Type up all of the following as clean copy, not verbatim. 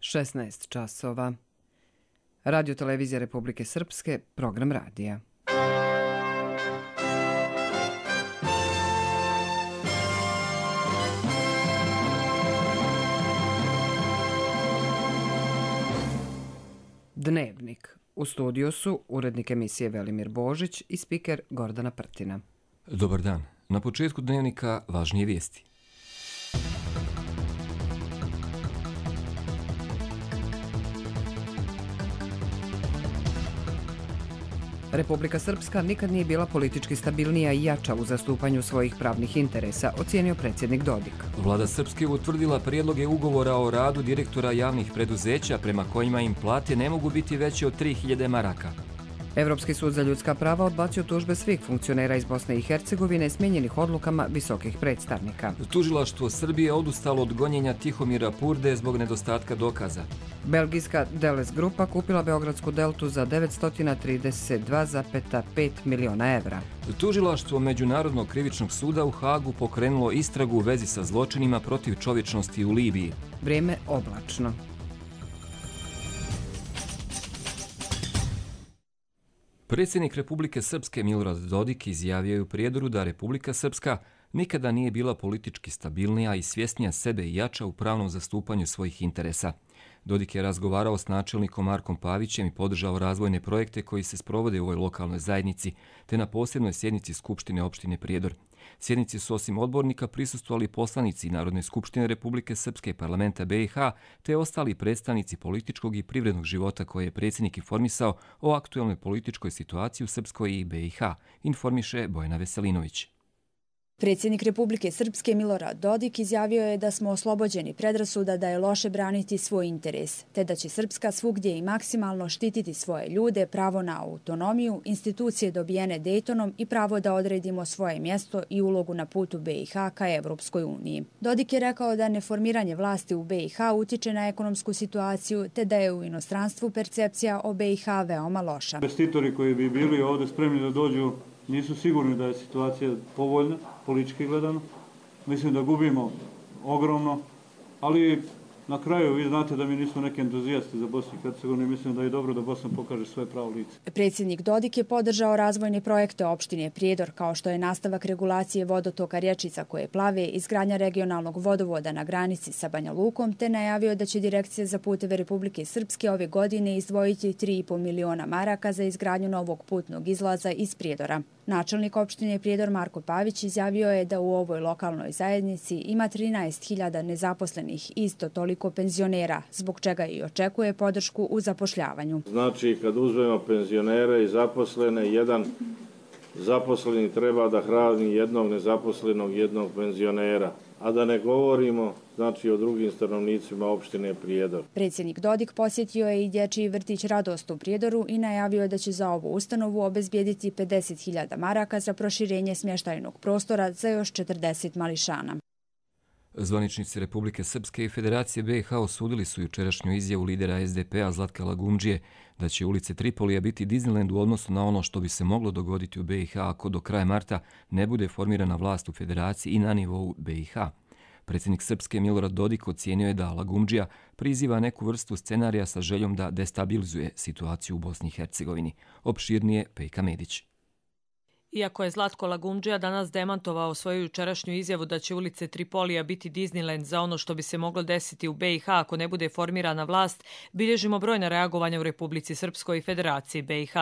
16 časova. Radio Televizija Republike Srpske, program radija. Dnevnik. U studiju su urednik emisije Velimir Božić i spiker Gordana Prtina. Dobar dan. Na početku dnevnika važnije vijesti. Republika Srpska nikad nije bila politički stabilnija i jača u zastupanju svojih pravnih interesa, ocijenio predsjednik Dodik. Vlada Srpske utvrdila prijedloge ugovora o radu direktora javnih preduzeća prema kojima im plate ne mogu biti veće od 3000 maraka. Evropski sud za ljudska prava odbacio tužbe svih funkcionera iz Bosne i Hercegovine smijenjenih odlukama visokih predstavnika. Tužilaštvo Srbije odustalo od gonjenja Tihomira Purde zbog nedostatka dokaza. Belgijska Deles grupa kupila Beogradsku deltu za 932,5 miliona evra. Tužilaštvo Međunarodnog krivičnog suda u Hagu pokrenulo istragu u vezi sa zločinima protiv čovječnosti u Libiji. Vrijeme oblačno. Predsjednik Republike Srpske Milorad Dodik izjavio je u Prijedoru da Republika Srpska nikada nije bila politički stabilnija i svjesnija sebe i jača u pravnom zastupanju svojih interesa. Dodik je razgovarao s načelnikom Markom Pavićem i podržao razvojne projekte koji se sprovode u ovoj lokalnoj zajednici, te na posebnoj sjednici Skupštine opštine Prijedor. Sjednici su osim odbornika prisustvovali poslanici Narodne skupštine Republike Srpske, parlamenta BiH, te ostali predstavnici političkog i privrednog života koje je predsjednik informisao o aktualnoj političkoj situaciji u Srpskoj i BiH, informiše Bojana Veselinović. Predsjednik Republike Srpske Milorad Dodik izjavio je da smo oslobođeni predrasuda da je loše braniti svoj interes, te da će Srpska svugdje i maksimalno štititi svoje ljude, pravo na autonomiju, institucije dobijene Dejtonom i pravo da odredimo svoje mjesto i ulogu na putu BiH ka Evropskoj uniji. Dodik je rekao da neformiranje vlasti u BiH utiče na ekonomsku situaciju, te da je u inostranstvu percepcija o BiH veoma loša. Investitori koji bi bili ovdje spremni da dođu nisu sigurni da je situacija povoljna, politički gledano. Mislim da gubimo ogromno, ali na kraju vi znate da mi nismo neki entuzijasti za Bosnu i Hercegovinu i mislim da je dobro da Bosna pokaže svoje pravo lice. Predsjednik Dodik je podržao razvojne projekte opštine Prijedor, kao što je nastavak regulacije vodotoka rječica koje plave, izgradnja regionalnog vodovoda na granici sa Banja Lukom, te najavio da će Direkcija za puteve Republike Srpske ove godine izdvojiti 3,5 miliona maraka za izgradnju novog putnog izlaza iz Prijedora. Načelnik opštine Prijedor Marko Pavić izjavio je da u ovoj lokalnoj zajednici ima 13.000 nezaposlenih i isto toliko penzionera, zbog čega i očekuje podršku u zapošljavanju. Znači, kad uzmemo penzionere i zaposlene, jedan zaposleni treba da hrani jednog nezaposlenog, jednog penzionera. A da ne govorimo, znači, o drugim stanovnicima opštine Prijedor. Predsjednik Dodik posjetio je i dječji vrtić Radost u Prijedoru i najavio da će za ovu ustanovu obezbijediti 50.000 maraka za proširenje smještajnog prostora za još 40 mališana. Zvaničnici Republike Srpske i Federacije BiH osudili su jučerašnju izjavu lidera SDP-a Zlatka Lagumdžije da će ulice Tripolija biti Disneyland u odnosu na ono što bi se moglo dogoditi u BiH ako do kraja marta ne bude formirana vlast u Federaciji i na nivou BiH. Predsjednik Srpske Milorad Dodik ocijenio je da Lagumdžija priziva neku vrstu scenarija sa željom da destabilizuje situaciju u Bosni i Hercegovini. Opširnije Pejka Medić. Iako je Zlatko Lagumdžija danas demantovao svoju jučerašnju izjavu da će ulice Tripolija biti Disneyland za ono što bi se moglo desiti u BiH ako ne bude formirana vlast, bilježimo brojna reagovanja u Republici Srpskoj i Federaciji BiH.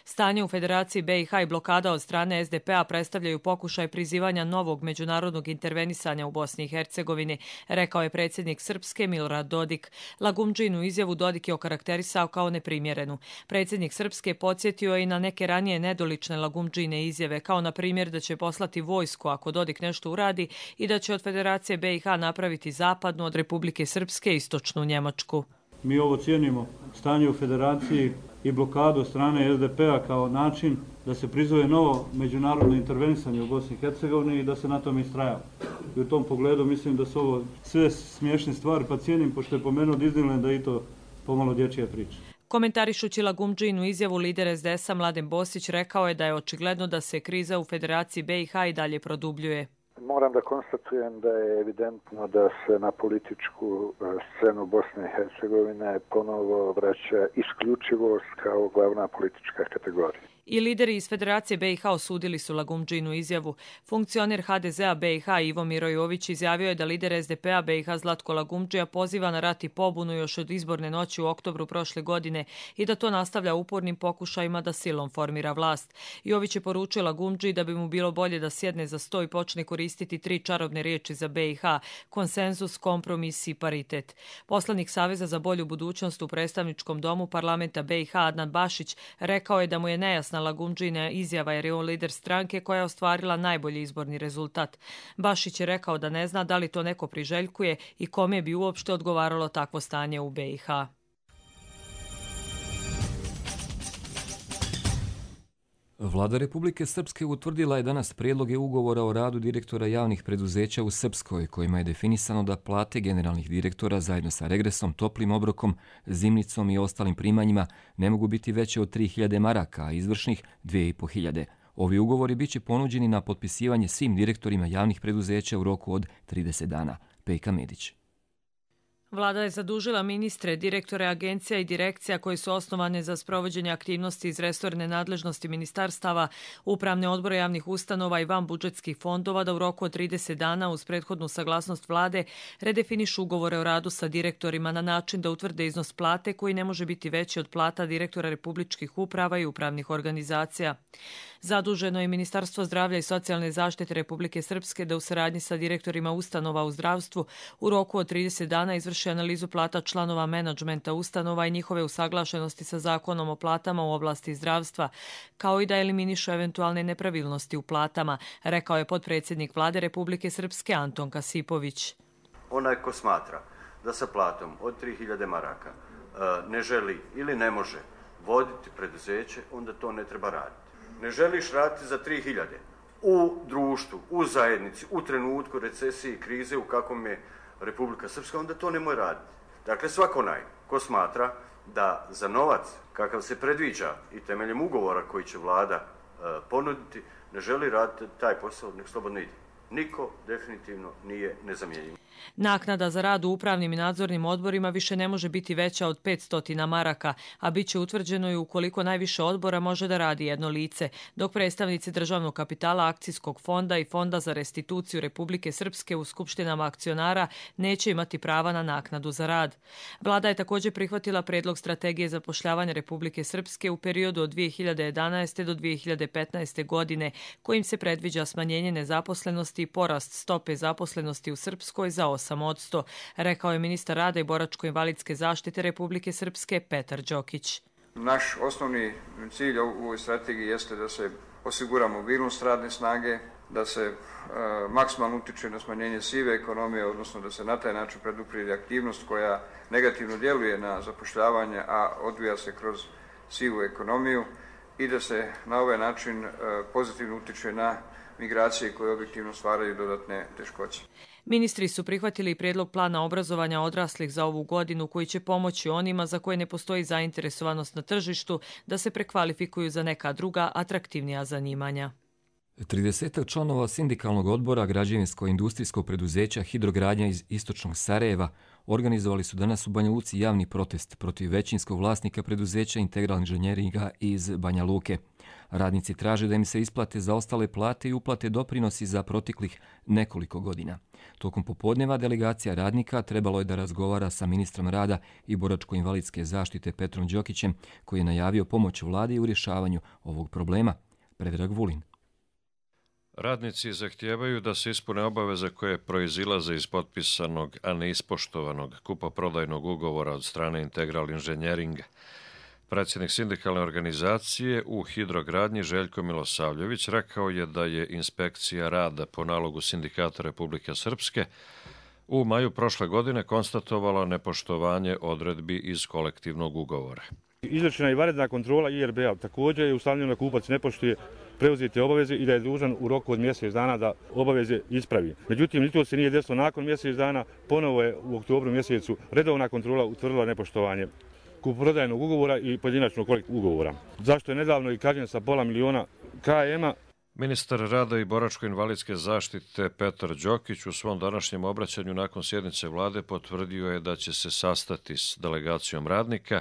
Stanje u Federaciji BiH i blokada od strane SDP-a predstavljaju pokušaj prizivanja novog međunarodnog intervenisanja u Bosni i Hercegovini, rekao je predsjednik Srpske Milorad Dodik. Lagumdžinu izjavu Dodik je okarakterisao kao neprimjerenu. Predsjednik Srpske podsjetio je i na neke ranije nedolične Lagumdžine izjave, kao na primjer da će poslati vojsku ako Dodik nešto uradi i da će od Federacije BiH napraviti zapadnu, od Republike Srpske istočnu Njemačku. Mi ovo cijenimo stanje u Federaciji i blokadu strane SDP-a kao način da se prizove novo međunarodno intervenisanje u Bosni i Hercegovini i da se na tom istrajava. I u tom pogledu mislim da su ovo sve smiješne stvari, pa cijenim, pošto je pomenuo Disneyland, da i to pomalo dječja priča. Komentarišući Lagumdžinu izjavu, lider SDS-a Mladen Bosić rekao je da je očigledno da se kriza u Federaciji BiH i dalje produbljuje. Moram da konstatujem da je evidentno da se na političku scenu Bosne i Hercegovine ponovo vraća isključivost kao glavna politička kategorija. I lideri iz Federacije BiH osudili su Lagumdžinu izjavu. Funkcioner HDZ-a BiH Ivo Mirojović izjavio je da lider SDP-a BiH Zlatko Lagumdžija poziva na rat i pobunu još od izborne noći u oktobru prošle godine i da to nastavlja upornim pokušajima da silom formira vlast. Jović je poručio Lagumdžiji da bi mu bilo bolje da sjedne za sto i počne koristiti 3 čarobne riječi za BiH: konsenzus, kompromis i paritet. Poslanik Saveza za bolju budućnost u predstavničkom domu parlamenta BiH Adnan Bašić rekao je da mu je nejasna Lagumdžina izjava jer je on lider stranke koja je ostvarila najbolji izborni rezultat. Bašić je rekao da ne zna da li to neko priželjkuje i kome bi uopšte odgovaralo takvo stanje u BiH. Vlada Republike Srpske utvrdila je danas prijedloge ugovora o radu direktora javnih preduzeća u Srpskoj, kojima je definisano da plate generalnih direktora zajedno sa regresom, toplim obrokom, zimnicom i ostalim primanjima ne mogu biti veće od 3.000 maraka, a izvršnih 2.500. Ovi ugovori biće ponuđeni na potpisivanje svim direktorima javnih preduzeća u roku od 30 dana. Pejka Medić. Vlada je zadužila ministre, direktore agencija i direkcija koji su osnovane za sprovođenje aktivnosti iz resorne nadležnosti ministarstava, upravne odbore javnih ustanova i vanbudžetskih fondova da u roku od 30 dana uz prethodnu saglasnost vlade redefinišu ugovore o radu sa direktorima na način da utvrde iznos plate koji ne može biti veći od plata direktora republičkih uprava i upravnih organizacija. Zaduženo je Ministarstvo zdravlja i socijalne zaštite Republike Srpske da u saradnji sa direktorima ustanova u zdravstvu u roku od 30 dana izvrši analizu plata članova menadžmenta ustanova i njihove usaglašenosti sa zakonom o platama u oblasti zdravstva, kao i da eliminišu eventualne nepravilnosti u platama, rekao je potpredsjednik Vlade Republike Srpske Anton Kasipović. Onaj ko smatra da sa platom od 3.000 maraka ne želi ili ne može voditi preduzeće, onda to ne treba raditi. Ne želiš raditi za 3.000 u društvu, u zajednici, u trenutku recesije i krize u kakvom je Republika Srpska, onda to nemoj raditi. Dakle, svako onaj ko smatra da za novac kakav se predviđa i temeljem ugovora koji će vlada ponuditi, ne želi raditi taj posao, nek slobodno ide. Niko definitivno nije nezamjenjiv. Naknada za rad u upravnim i nadzornim odborima više ne može biti veća od 500 maraka, a bit će utvrđeno i ukoliko najviše odbora može da radi jedno lice, dok predstavnici državnog kapitala, akcijskog fonda i fonda za restituciju Republike Srpske u skupštinama akcionara neće imati prava na naknadu za rad. Vlada je također prihvatila predlog strategije zapošljavanja Republike Srpske u periodu od 2011. do 2015. godine, kojim se predviđa smanjenje nezaposlenosti i porast stope zaposlenosti u Srpskoj za 8%, rekao je ministar rada i boračko-invalidske zaštite Republike Srpske Petar Đokić. Naš osnovni cilj u ovoj strategiji jeste da se osigura mobilnost radne snage, da se maksimalno utiče na smanjenje sive ekonomije, odnosno da se na taj način preduprijedi aktivnost koja negativno djeluje na zapošljavanje, a odvija se kroz sivu ekonomiju i da se na ovaj način pozitivno utiče na migracije koje objektivno stvaraju dodatne teškoće. Ministri su prihvatili prijedlog plana obrazovanja odraslih za ovu godinu koji će pomoći onima za koje ne postoji zainteresovanost na tržištu da se prekvalifikuju za neka druga atraktivnija zanimanja. 30 članova sindikalnog odbora građevinsko-industrijskog preduzeća Hidrogradnja iz istočnog Sarajeva organizovali su danas u Banja Luci javni protest protiv većinskog vlasnika preduzeća Integral inženjeringa iz Banja Luke. Radnici traže da im se isplate zaostale plate i uplate doprinosi za proteklih nekoliko godina. Tokom popodneva delegacija radnika trebalo je da razgovara sa ministrom rada i boračko-invalidske zaštite Petrom Đokićem, koji je najavio pomoć vlade u rješavanju ovog problema. Predrag Vulin. Radnici zahtijevaju da se ispune obaveze koje proizilaze iz potpisanog, a neispoštovanog kupoprodajnog ugovora od strane Integral inženjeringa. Predsjednik sindikalne organizacije u Hidrogradnji Željko Milosavljević rekao je da je inspekcija rada po nalogu Sindikata Republike Srpske u maju prošle godine konstatovala nepoštovanje odredbi iz kolektivnog ugovora. Izvršena je vanredna kontrola IRB-a. Također je ustanovljeno da kupac ne poštuje preuzete obaveze i da je dužan u roku od mjesec dana da obaveze ispravi. Međutim, ni to se nije desilo nakon mjesec dana. Ponovo je u oktobru mjesecu redovna kontrola utvrdila nepoštovanje kupoprodajnog ugovora i pojedinačnog kolektivnog ugovora. Zašto je nedavno i kažnjen sa $500.000 KM-a? Ministar rada i boračko-invalidske zaštite Petar Đokić u svom današnjem obraćanju nakon sjednice vlade potvrdio je da će se sastati s delegacijom radnika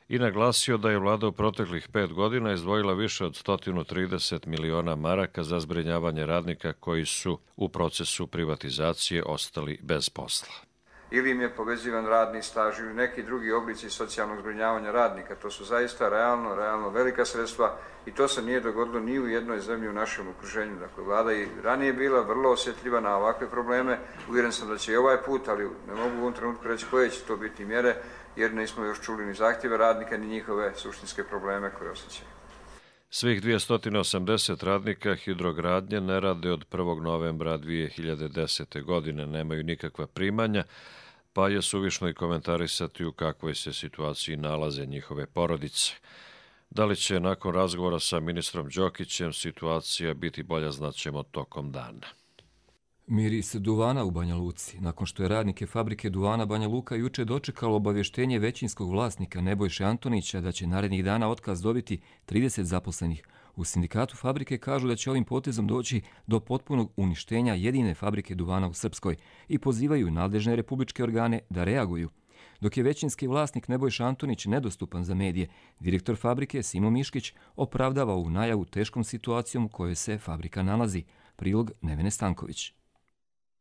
i naglasio da je vlada u proteklih 5 godina izdvojila više od 130 miliona maraka za zbrinjavanje radnika koji su u procesu privatizacije ostali bez posla. Ili im je povezivan radni staž ili neki drugi oblici socijalnog zbrinjavanja radnika. To su zaista realno velika sredstva i to se nije dogodilo ni u jednoj zemlji u našem okruženju. Dakle, vlada i ranije bila vrlo osjetljiva na ovakve probleme. Uvjeren sam da će i ovaj put, ali ne mogu u ovom trenutku reći koje će to biti mjere, jer nismo još čuli ni zahtjeve radnika, ni njihove suštinske probleme koje osjećaju. Svih 280 radnika hidrogradnje ne rade od 1. novembra 2010. godine, nemaju nikakva primanja, pa je suvišno i komentarisati u kakvoj se situaciji nalaze njihove porodice. Da li će nakon razgovora sa ministrom Đokićem situacija biti bolja, znaćemo tokom dana. Miris duvana u Banja Luci. Nakon što je radnike fabrike duvana Banja Luka juče dočekalo obavještenje većinskog vlasnika Nebojše Antonića da će narednih dana otkaz dobiti 30 zaposlenih. U sindikatu fabrike kažu da će ovim potezom doći do potpunog uništenja jedine fabrike duvana u Srpskoj i pozivaju nadležne republičke organe da reaguju. Dok je većinski vlasnik Nebojša Antonić nedostupan za medije, direktor fabrike Simo Miškić opravdava ovu najavu teškom situacijom u kojoj se fabrika nalazi. Prilog Nevene Stanković.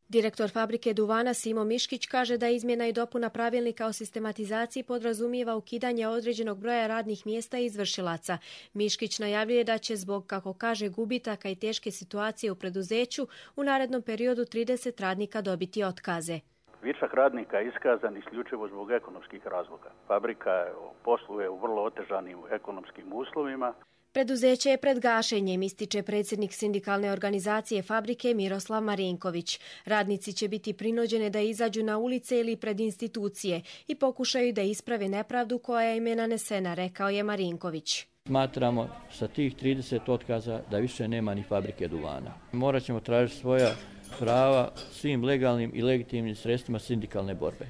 Direktor fabrike duvana Simo Miškić kaže da izmjena i dopuna pravilnika o sistematizaciji podrazumijeva ukidanje određenog broja radnih mjesta i izvršilaca. Miškić najavljuje da će zbog, kako kaže, gubitaka i teške situacije u preduzeću u narednom periodu 30 radnika dobiti otkaze. Višak radnika je iskazan isključivo zbog ekonomskih razloga. Fabrika posluje u vrlo otežanim ekonomskim uslovima. Preduzeće je pred gašenjem, ističe predsjednik sindikalne organizacije fabrike Miroslav Marinković. Radnici će biti prinuđeni da izađu na ulice ili pred institucije i pokušaju da isprave nepravdu koja im je nanesena, rekao je Marinković. Smatramo sa tih 30 otkaza da više nema ni fabrike duvana. Morat ćemo tražiti svoja prava svim legalnim i legitimnim sredstvima sindikalne borbe.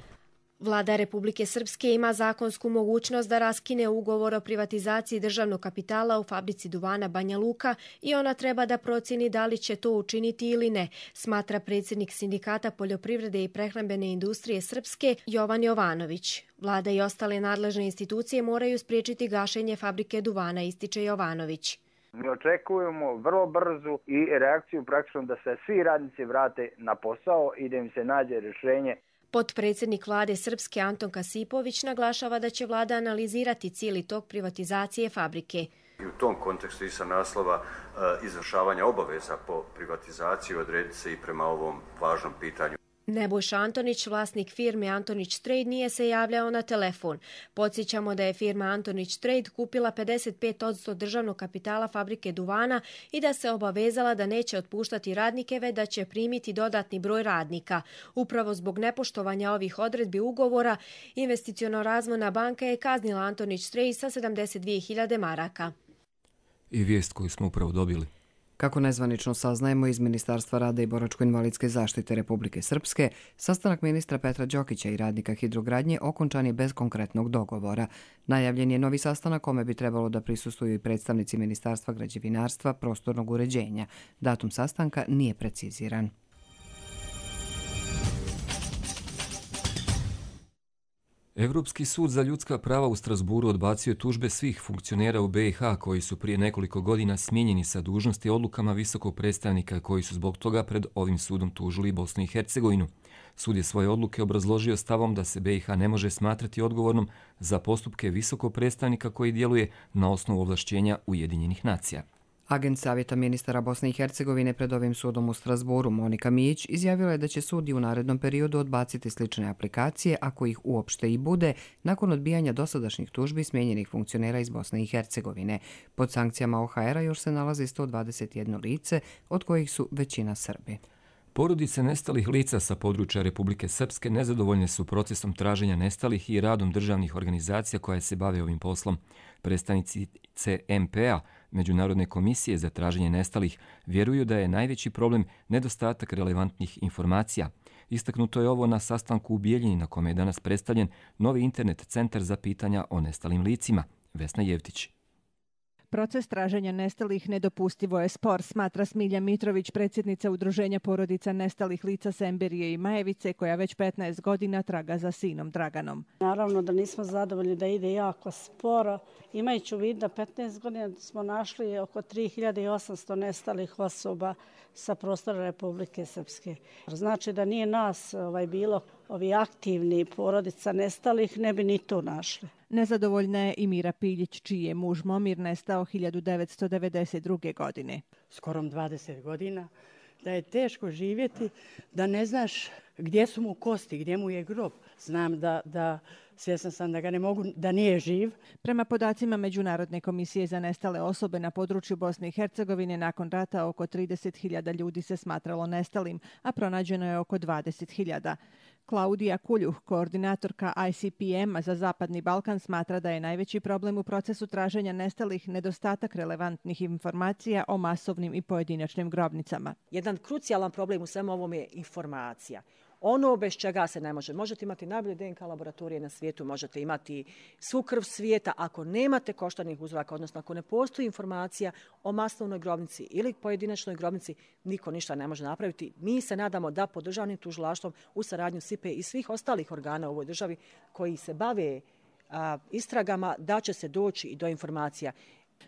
Vlada Republike Srpske ima zakonsku mogućnost da raskine ugovor o privatizaciji državnog kapitala u fabrici duvana Banja Luka i ona treba da procjeni da li će to učiniti ili ne, smatra predsjednik Sindikata poljoprivrede i prehrambene industrije Srpske Jovan Jovanović. Vlada i ostale nadležne institucije moraju spriječiti gašenje fabrike duvana, ističe Jovanović. Mi očekujemo vrlo brzu i reakciju praktično da se svi radnici vrate na posao i da im se nađe rješenje. Potpredsjednik vlade Srpske Anton Kasipović naglašava da će vlada analizirati cijeli tok privatizacije fabrike. I u tom kontekstu i sa naslova izvršavanja obaveza po privatizaciji odrediti se i prema ovom važnom pitanju. Nebojša Antonić, vlasnik firme Antonić Trade, nije se javljao na telefon. Podsjećamo da je firma Antonić Trade kupila 55% državnog kapitala fabrike duvana i da se obavezala da neće otpuštati radnike, već da će primiti dodatni broj radnika. Upravo zbog nepoštovanja ovih odredbi ugovora, Investiciono-razvojna banka je kaznila Antonić Trade sa 72.000 maraka. I vijest koju smo upravo dobili. Kako nezvanično saznajemo iz Ministarstva rada i boračko-invalidske zaštite Republike Srpske, sastanak ministra Petra Đokića i radnika hidrogradnje okončan je bez konkretnog dogovora. Najavljen je novi sastanak kome bi trebalo da prisustvuju i predstavnici Ministarstva građevinarstva, prostornog uređenja. Datum sastanka nije preciziran. Evropski sud za ljudska prava u Strasburu odbacio tužbe svih funkcionera u BiH koji su prije nekoliko godina smijenjeni sa dužnosti odlukama visokog predstavnika koji su zbog toga pred ovim sudom tužili Bosnu i Hercegovinu. Sud je svoje odluke obrazložio stavom da se BiH ne može smatrati odgovornom za postupke visokog predstavnika koji djeluje na osnovu ovlašćenja Ujedinjenih nacija. Agent savjeta ministara Bosne i Hercegovine pred ovim sudom u Strasburu Monika Mijić izjavila je da će sud i u narednom periodu odbaciti slične aplikacije, ako ih uopšte i bude, nakon odbijanja dosadašnjih tužbi smijenjenih funkcionera iz Bosne i Hercegovine. Pod sankcijama OHR-a još se nalazi 121 lice, od kojih su većina Srbi. Porodice nestalih lica sa područja Republike Srpske nezadovoljne su procesom traženja nestalih i radom državnih organizacija koje se bave ovim poslom. Predstavnici CMP-a, Međunarodne komisije za traženje nestalih, vjeruju da je najveći problem nedostatak relevantnih informacija. Istaknuto je ovo na sastanku u Bijeljini na kome je danas predstavljen novi internet centar za pitanja o nestalim licima. Vesna Jevtić. Proces traženja nestalih nedopustivo je spor, smatra Smilja Mitrović, predsjednica Udruženja porodica nestalih lica Semberije i Majevice, koja već 15 godina traga za sinom Draganom. Naravno da nismo zadovoljni da ide jako sporo. Imajući u vidu da 15 godina smo našli oko 3800 nestalih osoba sa prostora Republike Srpske. Znači da nije nas bilo ovi aktivni porodica nestalih, ne bi ni to našli. Nezadovoljna je i Mira Piljić, čiji je muž Momir nestao 1992. godine. Skorom 20 godina, da je teško živjeti, da ne znaš gdje su mu kosti, gdje mu je grob. Znam da svjesna sam da ga ne mogu, da nije živ. Prema podacima Međunarodne komisije za nestale osobe na području Bosne i Hercegovine, nakon rata oko 30.000 ljudi se smatralo nestalim, a pronađeno je oko 20.000. Klaudija Kuljuh, koordinatorka ICPM-a za Zapadni Balkan, smatra da je najveći problem u procesu traženja nestalih nedostatak relevantnih informacija o masovnim i pojedinačnim grobnicama. Jedan krucijalan problem u svemu ovom je informacija. Ono bez čega se ne može. Možete imati najbolje DNK laboratorije na svijetu, možete imati svu krv svijeta. Ako nemate koštanih uzoraka, odnosno ako ne postoji informacija o masovnoj grobnici ili pojedinačnoj grobnici, niko ništa ne može napraviti. Mi se nadamo da pod državnim tužilaštvom u saradnju SIPE i svih ostalih organa u ovoj državi koji se bave istragama, da će se doći i do informacija.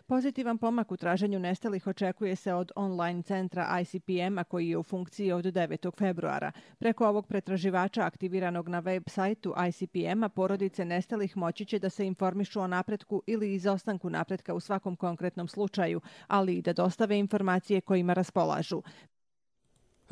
Pozitivan pomak u traženju nestalih očekuje se od online centra ICPM-a koji je u funkciji od 9. februara. Preko ovog pretraživača aktiviranog na web sajtu ICPM-a porodice nestalih moći će da se informišu o napretku ili izostanku napretka u svakom konkretnom slučaju, ali i da dostave informacije kojima raspolažu.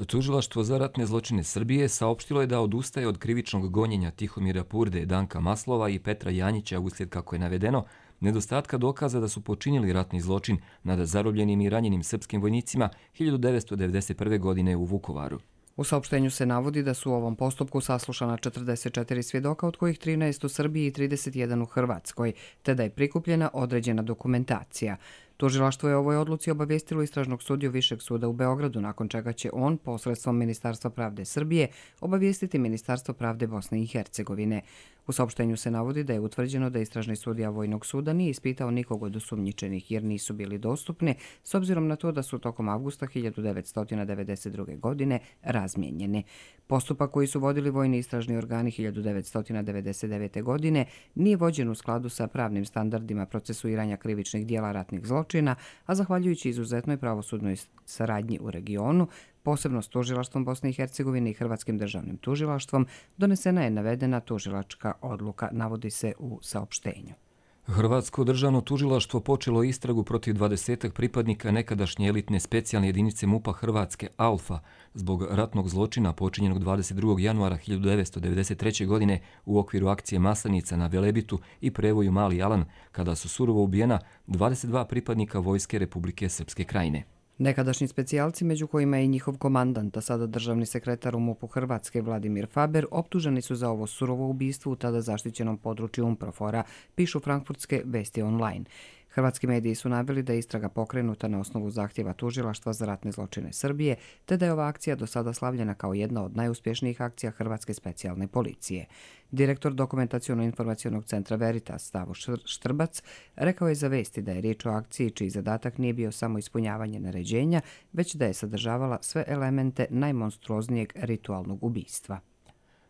Tužilaštvo za ratne zločine Srbije saopštilo je da odustaje od krivičnog gonjenja Tihomira Purde, Danka Maslova i Petra Janjića uslijed, kako je navedeno, nedostatka dokaza da su počinili ratni zločin nad zarobljenim i ranjenim srpskim vojnicima 1991. godine u Vukovaru. U saopštenju se navodi da su u ovom postupku saslušana 44 svjedoka, od kojih 13 u Srbiji i 31 u Hrvatskoj, te da je prikupljena određena dokumentacija. Tužilaštvo je o ovoj odluci obavijestilo istražnog sudiju Višeg suda u Beogradu, nakon čega će on, posredstvom Ministarstva pravde Srbije, obavijestiti Ministarstvo pravde Bosne i Hercegovine. U saopštenju se navodi da je utvrđeno da istražni sudija Vojnog suda nije ispitao nikog od osumnjičenih jer nisu bili dostupni, s obzirom na to da su tokom avgusta 1992. godine razmijenjeni. Postupak koji su vodili vojni istražni organi 1999. godine nije vođen u skladu sa pravnim standardima procesuiranja krivičnih dijela ratnih zločina, a zahvaljujući izuzetnoj pravosudnoj saradnji u regionu, posebno s tužilaštvom Bosne i Hercegovine i Hrvatskim državnim tužilaštvom, donesena je navedena tužilačka odluka, navodi se u saopštenju. Hrvatsko državno tužilaštvo počelo istragu protiv 20 pripadnika nekadašnje elitne specijalne jedinice MUP-a Hrvatske Alfa zbog ratnog zločina počinjenog 22. januara 1993. godine u okviru akcije Maslenica na Velebitu i Prevoju Mali Alan, kada su surovo ubijena 22 pripadnika Vojske Republike Srpske Krajine. Nekadašnji specijalci, među kojima je i njihov komandant, a sada državni sekretar u MUP-u Hrvatske Vladimir Faber, optuženi su za ovo surovo ubistvo u tada zaštićenom području Unprofora, pišu frankfurtske vesti online. Hrvatski mediji su naveli da je istraga pokrenuta na osnovu zahtjeva tužilaštva za ratne zločine Srbije, te da je ova akcija do sada slavljena kao jedna od najuspješnijih akcija Hrvatske specijalne policije. Direktor Dokumentaciono-informacionog centra Veritas Stavo Štrbac rekao je za vesti da je riječ o akciji čiji zadatak nije bio samo ispunjavanje naređenja, već da je sadržavala sve elemente najmonstruoznijeg ritualnog ubistva.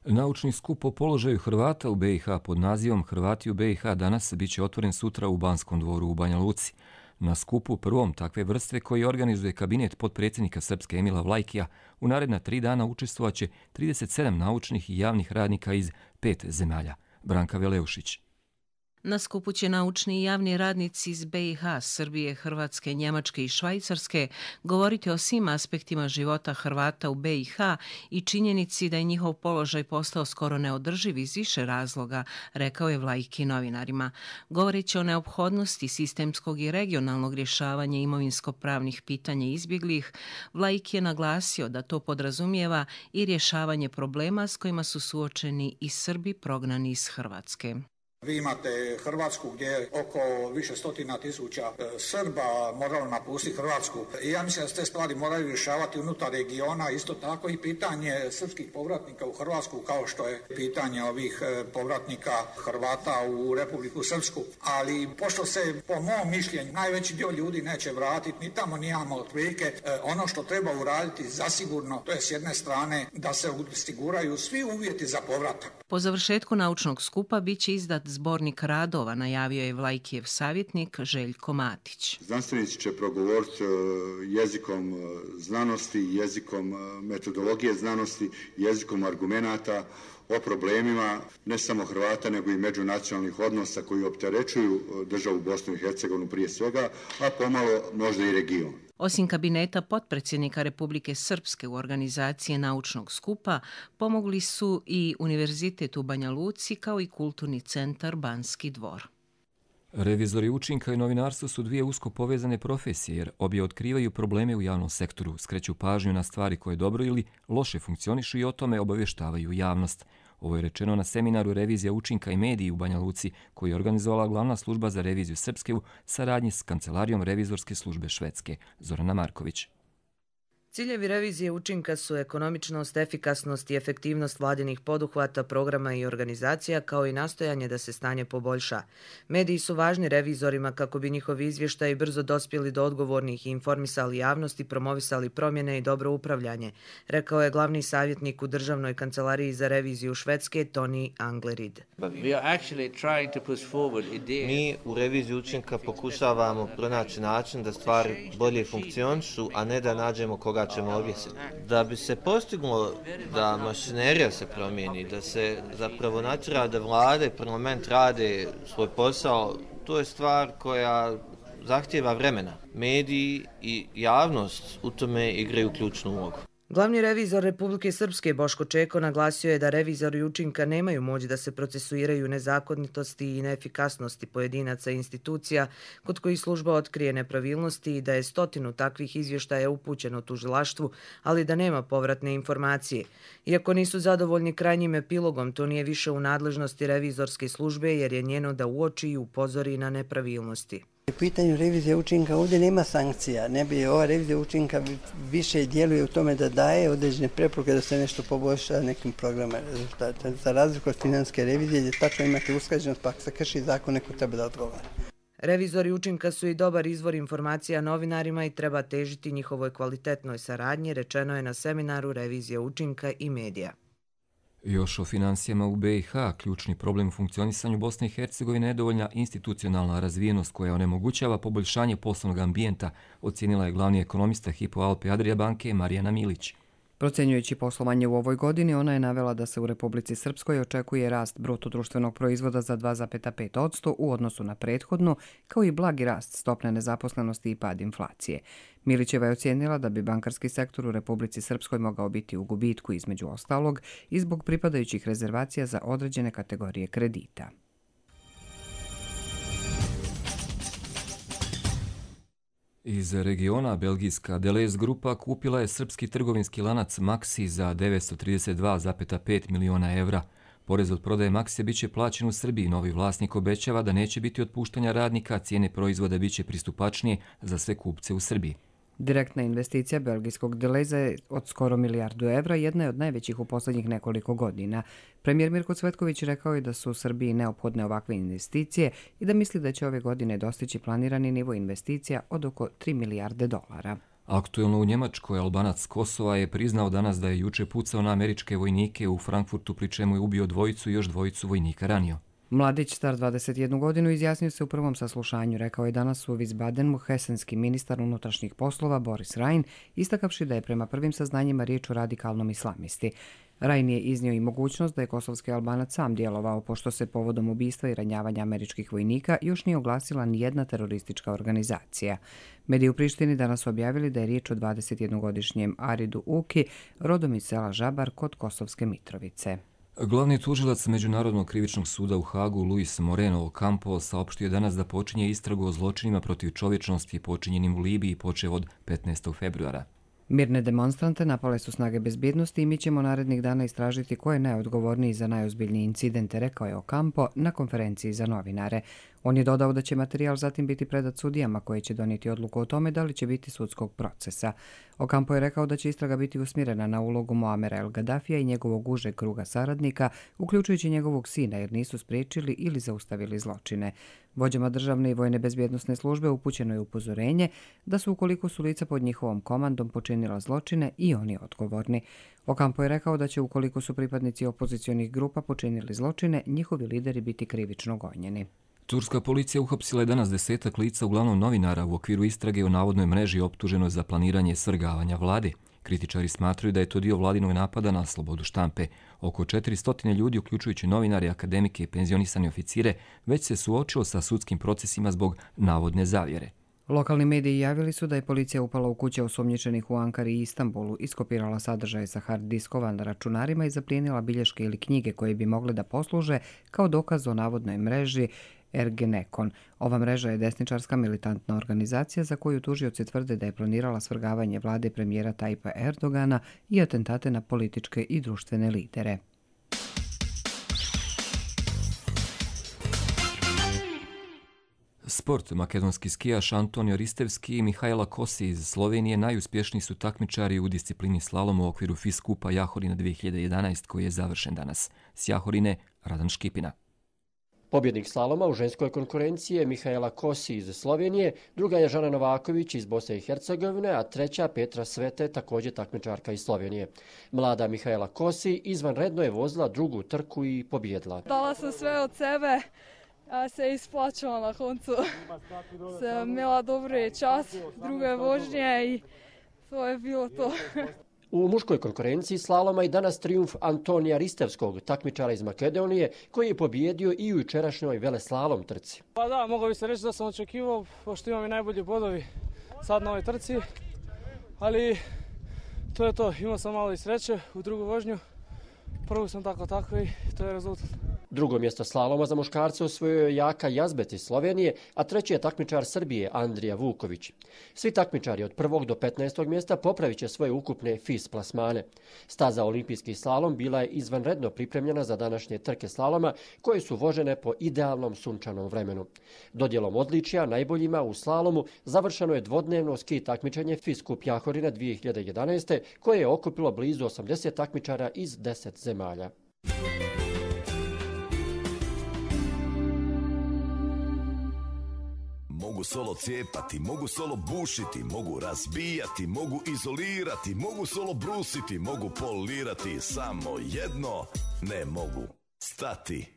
Naučni skup o položaju Hrvata u BiH pod nazivom Hrvati u BiH danas biće otvoren sutra u Banskom dvoru u Banja Luci. Na skupu prvom takve vrste koji organizuje kabinet potpredsjednika Srpske Emila Vlajkija u naredna 3 dana učestvovaće 37 naučnih i javnih radnika iz 5 zemalja. Branka Veleušić. Na skupu će naučni i javni radnici iz BiH, Srbije, Hrvatske, Njemačke i Švajcarske govoriti o svim aspektima života Hrvata u BiH i činjenici da je njihov položaj postao skoro neodrživ iz više razloga, rekao je Vlajki novinarima. Govoreći o neophodnosti sistemskog i regionalnog rješavanja imovinsko-pravnih pitanja izbjeglih, Vlajki je naglasio da to podrazumijeva i rješavanje problema s kojima su suočeni i Srbi prognani iz Hrvatske. Vi imate Hrvatsku gdje je oko više stotina tisuća Srba moralo napustiti Hrvatsku. I ja mislim da se te stvari moraju rješavati unutar regiona, isto tako i pitanje srpskih povratnika u Hrvatsku, kao što je pitanje ovih povratnika Hrvata u Republiku Srpsku. Ali pošto se, po mom mišljenju, najveći dio ljudi neće vratiti ni tamo ni jamo otprilike, ono što treba uraditi zasigurno, to je s jedne strane da se osiguraju svi uvjeti za povratak. Po završetku naučnog skupa bit će izdat zbornik radova, najavio je Vlajkijev savjetnik Željko Matić. Znanstvenici će progovoriti jezikom znanosti, jezikom metodologije znanosti, jezikom argumenata o problemima ne samo Hrvata nego i međunacionalnih odnosa koji opterećuju državu Bosnu i Hercegovinu prije svega, a pomalo možda i region. Osim kabineta potpredsjednika Republike Srpske u organizaciji naučnog skupa, pomogli su i Univerzitet u Banja Luci kao i Kulturni centar Banski dvor. Revizori učinka i novinarstvo su dvije usko povezane profesije jer obje otkrivaju probleme u javnom sektoru, skreću pažnju na stvari koje dobro ili loše funkcionišu i o tome obavještavaju javnost. Ovo je rečeno na seminaru Revizija učinka i mediji u Banja Luci, koji je organizovala glavna služba za reviziju Srpske u saradnji s Kancelarijom revizorske službe Švedske. Zorana Marković. Ciljevi revizije učinka su ekonomičnost, efikasnost i efektivnost vladinih poduhvata, programa i organizacija, kao i nastojanje da se stanje poboljša. Mediji su važni revizorima kako bi njihovi izvještaji brzo dospjeli do odgovornih i informisali javnost i promovisali promjene i dobro upravljanje, rekao je glavni savjetnik u Državnoj kancelariji za reviziju Švedske Toni Anglerid. Mi u reviziji učinka pokušavamo pronaći način da stvari bolje funkcionišu, a ne da nađemo koga ćemo objesiti. Da bi se postiglo da mašinerija se promijeni, da se zapravo natjera da vlade i parlament rade svoj posao, to je stvar koja zahtijeva vremena. Mediji i javnost u tome igraju ključnu ulogu. Glavni revizor Republike Srpske Boško Čeko naglasio je da revizori učinka nemaju moć da se procesuiraju nezakonitosti i neefikasnosti pojedinaca i institucija kod kojih služba otkrije nepravilnosti i da je 100 takvih izvještaja upućeno tužilaštvu, ali da nema povratne informacije. Iako nisu zadovoljni krajnjim epilogom, to nije više u nadležnosti revizorske službe jer je njeno da uoči i upozori na nepravilnosti. U pitanju revizije učinka ovdje nema sankcija. Ova revizija učinka više djeluje u tome da daje određene preporuke da se nešto poboljša nekim programima rezultata. Za razliku od financijske revizije gdje tačno imate usklađenost, pa ako se krši zakon, neko treba da odgovara. Revizori učinka su i dobar izvor informacija novinarima i treba težiti njihovoj kvalitetnoj saradnji, rečeno je na seminaru Revizija učinka i medija. Još o financijama u BiH, ključni problem u funkcionisanju Bosne i Hercegovine je nedovoljna institucionalna razvijenost koja onemogućava poboljšanje poslovnog ambijenta, ocijenila je glavni ekonomista Hypo Alpe Adria banke Marijana Milić. Procjenjujući poslovanje u ovoj godini, ona je navela da se u Republici Srpskoj očekuje rast brutodruštvenog proizvoda za 2,5% u odnosu na prethodnu, kao i blagi rast stopne nezaposlenosti i pad inflacije. Milićeva je ocijenila da bi bankarski sektor u Republici Srpskoj mogao biti u gubitku između ostalog i zbog pripadajućih rezervacija za određene kategorije kredita. Iz regiona belgijska Deleuze grupa kupila je srpski trgovinski lanac Maxi za 932,5 miliona evra. Porez od prodaje Maxi biće plaćen u Srbiji. Novi vlasnik obećava da neće biti otpuštanja radnika, a cijene proizvoda biće pristupačnije za sve kupce u Srbiji. Direktna investicija belgijskog Deleuze od skoro milijardu evra jedna je od najvećih u posljednjih nekoliko godina. Premijer Mirko Cvetković rekao je da su u Srbiji neophodne ovakve investicije i da misli da će ove godine dostići planirani nivo investicija od oko 3 milijarde dolara. Aktuelno u Njemačkoj Albanac Kosova je priznao danas da je juče pucao na američke vojnike u Frankfurtu, pri čemu je ubio dvojicu i još dvojicu vojnika ranio. Mladić, star 21 godinu, izjasnio se u prvom saslušanju. Rekao je danas u Wiesbadenu hesenski ministar unutrašnjih poslova Boris Rhein, istakavši da je prema prvim saznanjima riječ o radikalnom islamisti. Rhein je iznio i mogućnost da je kosovski Albanac sam djelovao, pošto se povodom ubistva i ranjavanja američkih vojnika još nije oglasila nijedna teroristička organizacija. Mediji u Prištini danas su objavili da je riječ o 21-godišnjem Aridu Uki, rodom iz sela Žabar kod Kosovske Mitrovice. Glavni tužilac Međunarodnog krivičnog suda u Hagu, Luis Moreno Ocampo, saopštio je danas da počinje istragu o zločinima protiv čovječnosti počinjenim u Libiji počev od 15. februara. Mirne demonstrante napale su snage bezbjednosti i mi ćemo narednih dana istražiti ko je najodgovorniji za najozbiljniji incidente, rekao je Ocampo na konferenciji za novinare. On je dodao da će materijal zatim biti predat sudijama koji će donijeti odluku o tome da li će biti sudskog procesa. Ocampo je rekao da će istraga biti usmjerena na ulogu Muamera El Gaddafija i njegovog užeg kruga saradnika, uključujući njegovog sina, jer nisu spriječili ili zaustavili zločine. Vođama državne i vojne bezbjednosne službe upućeno je upozorenje da su, ukoliko su lica pod njihovom komandom počinila zločine, i oni odgovorni. Ocampo je rekao da će, ukoliko su pripadnici opozicionih grupa počinili zločine, njihovi lideri biti krivično gonjeni. Turska policija uhapsila je danas 10 lica, uglavnom novinara, u okviru istrage o navodnoj mreži optuženoj za planiranje svrgavanja vlade. Kritičari smatraju da je to dio vladinog napada na slobodu štampe. Oko 400 ljudi, uključujući novinare, akademike i penzionisane oficire, već se suočilo sa sudskim procesima zbog navodne zavjere. Lokalni mediji javili su da je policija upala u kuće osumnjičenih u Ankari i Istanbulu, iskopirala sadržaje sa hard diskova na računarima i zaplijenila bilješke ili knjige koje bi mogle da posluže kao dokaz o navodnoj mreži Ergenekon. Ova mreža je desničarska militantna organizacija za koju tužioci tvrde da je planirala svrgavanje vlade premijera Tajpa Erdogana i atentate na političke i društvene lidere. Sport. Makedonski skijaš Antonio Ristevski i Mihajla Kosi iz Slovenije najuspješniji su takmičari u disciplini slalom u okviru FIS Kupa Jahorina 2011 koji je završen danas. S Jahorine Radan Škipina. Pobjednik slaloma u ženskoj konkurenciji je Mihajla Kosi iz Slovenije, druga je Žana Novaković iz Bosne i Hercegovine, a treća Petra Svete, također takmičarka iz Slovenije. Mlada Mihajla Kosi izvanredno je vozila drugu trku i pobjedila. Dala sam sve od sebe, a se isplačala na koncu. Sam imala dobre čas, druge vožnje i to je bilo to. U muškoj konkurenciji slaloma i danas trijumf Antonija Ristevskog, takmičara iz Makedonije, koji je pobjedio i u jučerašnjoj veleslalom trci. Pa da, mogao bi se reći da sam očekivao, pošto imam i najbolji bodovi sad na ovoj trci, ali to je to. Imao sam malo i sreće u drugu vožnju, prvu sam tako i to je rezultat. Drugo mjesto slaloma za muškarce osvojio je Jaka Jazbet iz Slovenije, a treći je takmičar Srbije Andrija Vuković. Svi takmičari od 1. do 15. mjesta popravit će svoje ukupne FIS plasmane. Staza olimpijski slalom bila je izvanredno pripremljena za današnje trke slaloma koje su vožene po idealnom sunčanom vremenu. Dodjelom odličja najboljima u slalomu završeno je dvodnevno ski takmičenje FIS Kup Jahorina 2011. koje je okupilo blizu 80 takmičara iz 10 zemalja. Mogu solo cijepati, mogu solo bušiti, mogu razbijati, mogu izolirati, mogu solo brusiti, mogu polirati, samo jedno ne mogu stati.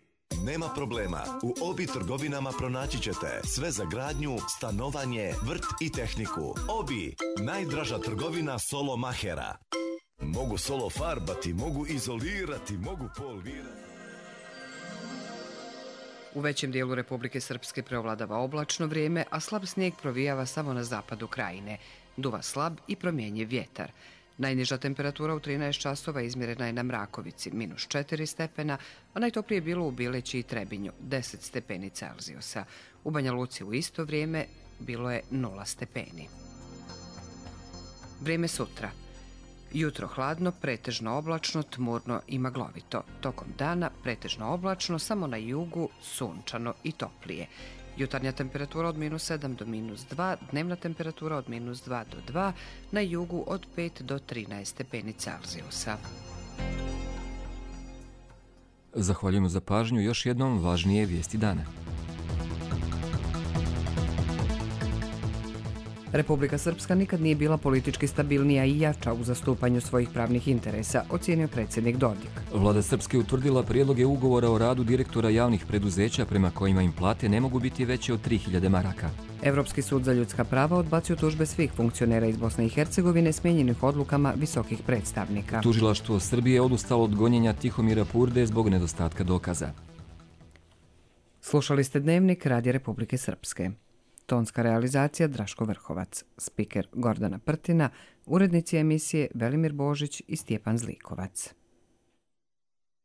Nema problema, u Obi trgovinama pronaći ćete sve za gradnju, stanovanje, vrt i tehniku. Obi, najdraža trgovina solo mahera. Mogu solo farbati, mogu izolirati, mogu polirati. U većem dijelu Republike Srpske preovladava oblačno vrijeme, a slab snijeg provijava samo na zapadu krajine. Duva slab i promjenjiv vjetar. Najniža temperatura u 13 časova izmjerena je na Mrakovici, -4 stepena, a najtoplije je bilo u Bileći i Trebinju, 10 stepeni Celzijusa. U Banja Luci u isto vrijeme bilo je 0 stepeni. Vrijeme sutra. Jutro hladno, pretežno oblačno, tmurno i maglovito. Tokom dana pretežno oblačno, samo na jugu sunčano i toplije. Jutarnja temperatura od -7 do -2, dnevna temperatura od -2 do 2, na jugu od 5 do 13 stepeni Celzijusa. Zahvaljujemo za pažnju. Još jednom važnije vijesti dana. Republika Srpska nikad nije bila politički stabilnija i jača u zastupanju svojih pravnih interesa, ocijenio predsjednik Dodik. Vlada Srpske utvrdila prijedloge ugovora o radu direktora javnih preduzeća prema kojima im plate ne mogu biti veće od 3000 maraka. Evropski sud za ljudska prava odbacio tužbe svih funkcionera iz Bosne i Hercegovine smijenjenih odlukama visokih predstavnika. Tužilaštvo Srbije odustalo od gonjenja Tihomira Purde zbog nedostatka dokaza. Slušali ste Dnevnik Radija Republike Srpske. Tonska realizacija Draško Vrhovac, spiker Gordana Prtina, urednici emisije Velimir Božić i Stjepan Zlikovac.